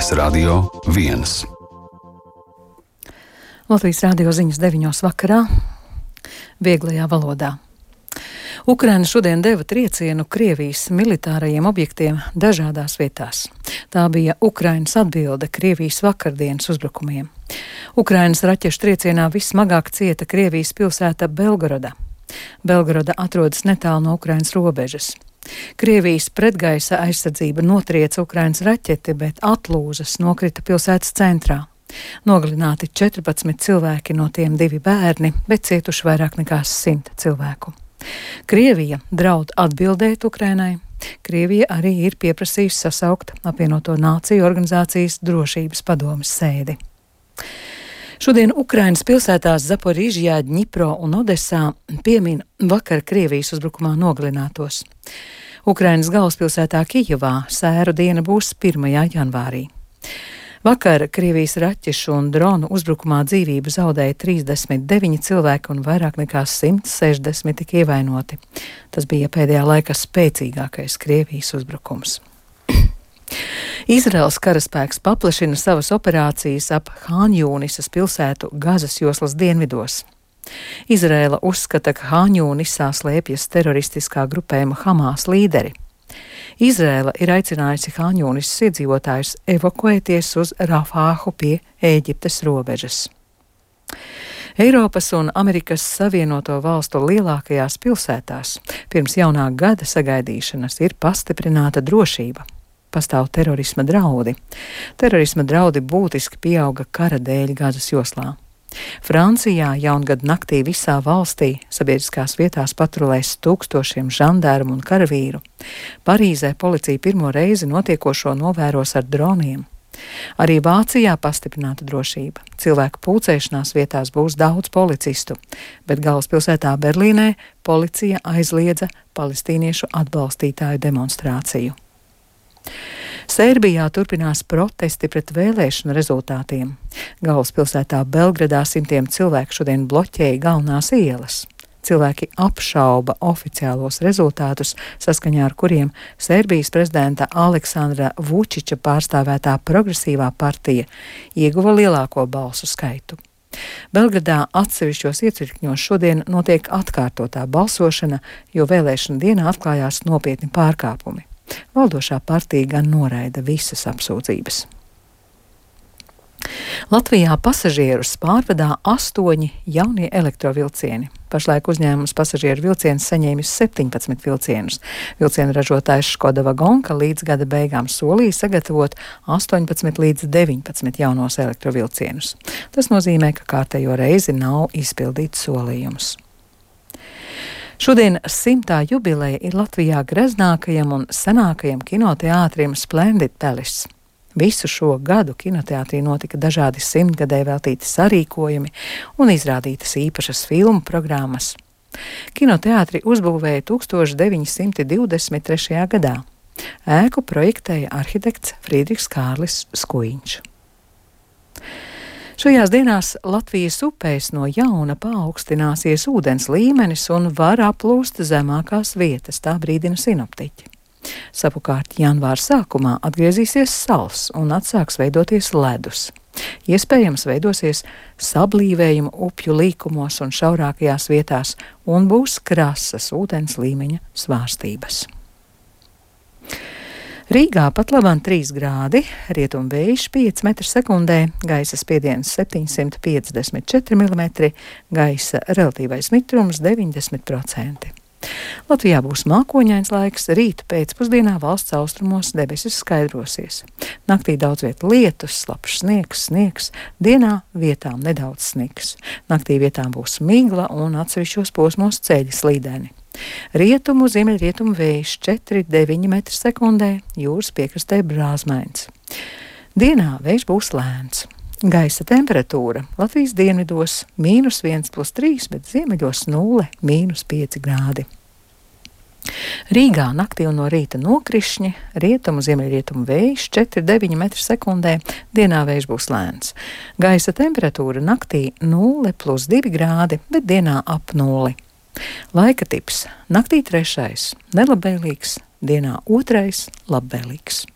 Radio 1. Latvijas radio ziņas 9 vakarā, vieglajā valodā. Ukraina šodien deva triecienu Krievijas militārajiem objektiem dažādās vietās. Tā bija Ukrainas atbilde Krievijas vakardienas uzbrukumiem. Ukrainas raķešu triecienā vissmagāk cieta Krievijas pilsēta Belgoroda. Belgoroda atrodas netālu no Ukrainas robežas. Krievijas pretgaisa aizsardzība notrieca Ukrainas raķeti, bet atlūzas nokrita pilsētas centrā. Nogalināti 14 cilvēki, no tiem 2 bērni, bet cietuši vairāk nekā 100 cilvēku. Krievija draud atbildēt Ukrainai. Krievija arī ir pieprasījusi sasaukt apvienoto nāciju organizācijas drošības padomes sēdi. Šodien Ukrainas pilsētās Zaporižjā, Dņipro un Odesā piemin vakar Krievijas uzbrukumā nogalinātos. Ukrainas galvaspilsētā Kijevā sēru diena būs 1. janvārī. Vakar Krievijas raķešu un dronu uzbrukumā dzīvību zaudēja 39 cilvēki un vairāk nekā 160 tika ievainoti. Tas bija pēdējā laika spēcīgākais Krievijas uzbrukums. Izraels karaspēks paplašina savas operācijas ap Hāņjūnisas pilsētu Gazas joslas dienvidos. Izraela uzskata, ka Hāņjūnisā slēpjas teroristiskā grupējuma Hamas līderi. Izraela ir aicinājusi Hāņjūnisas iedzīvotājus evakuēties uz Rafāhu pie Ēģiptes robežas. Eiropas un Amerikas Savienoto valstu lielākajās pilsētās pirms jaunā gada sagaidīšanas ir pastiprināta drošība. Pastāv terorisma draudi. Terorisma draudi būtiski pieauga kara dēļ Gazas joslā. Francijā jaungada naktī visā valstī sabiedriskās vietās patrulēs tūkstošiem žandarmu un karavīru. Parīzē policija pirmo reizi notiekošo novēros ar droniem. Arī Vācijā pastiprināta drošība. Cilvēku pulcēšanās vietās būs daudz policistu, bet galvaspilsētā Berlīnē policija aizliedza palestīniešu atbalstītāju demonstrāciju. Sērbijā turpinās protesti pret vēlēšanu rezultātiem. Galvaspilsētā Belgradā simtiem cilvēku šodien bloķēja galvenās ielas. Cilvēki apšauba oficiālos rezultātus, saskaņā ar kuriem Sērbijas prezidenta Aleksandra Vučiča pārstāvētā progresīvā partija ieguva lielāko balsu skaitu. Belgradā atsevišķos iecirkņos šodien notiek atkārtotā balsošana, jo vēlēšana dienā atklājās nopietni pārkāpumi. Valdošā partija gan noraida visas apsūdzības. Latvijā pasažierus pārvadā 8 jaunie elektrovilcieni. Pašlaik uzņēmums pasažieru vilcienus saņēmis 17 vilcienus. Vilcienu ražotājs Škoda Vagonka līdz gada beigām solīja sagatavot 18 līdz 19 jaunos elektrovilcienus. Tas nozīmē, ka kārtējo reizi nav izpildīts solījums. Šodien 100. jubileja ir Latvijā greznākajam un senākajam kinoteātrim Splendid Palace. Visu šo gadu kinoteātrī notika dažādi 100-gadē veltīti sarīkojumi un izrādītas īpašas filmu programmas. Kinoteātri uzbūvēja 1923. gadā. Ēku projektēja arhitekts Friedrichs Kārlis Skuiņš. Šajās dienās Latvijas upēs no jauna paaugstināsies ūdens līmenis un var aplūst zemākās vietas, tā brīdina sinoptiķi. Savukārt janvāra sākumā atgriezīsies sals un atsāks veidoties ledus. Iespējams veidosies sablīvējuma upju līkumos un šaurākajās vietās un būs krasas ūdens līmeņa svārstības. Rīgā pat labāk 3 grādi, rietumvējš 5 m/sekundē, gaisa spiediens 754 mm, gaisa relatīvais mitrums 90%. Latvijā būs mākoņains laiks, rīta pēcpusdienā valsts austrumos debesis skaidrosies. Naktī daudz viet lietus, slapjš sniegs, dienā vietām nedaudz sniks. Naktī vietām būs migla un atsevišķos posmos ceļi slīdeni. Rietumu ziemeļrietumu vējš 4–9 m/sekundē, jūras piekrastē brāzmains. Dienā vējš būs lēns. Gaisa temperatūra Latvijas dienvidos -1+3, bet ziemeļos 0–5 grādi. Rīgā naktī un no rīta nokrišņi, rietumu ziemeļrietumu vējš 4–9 m/sekundē, dienā vējš būs lēns. Gaisa temperatūra naktī 0+2 grādi, bet dienā ap 0. Laika tips: naktī 3. nelabvēlīgs, dienā 2. labvēlīgs.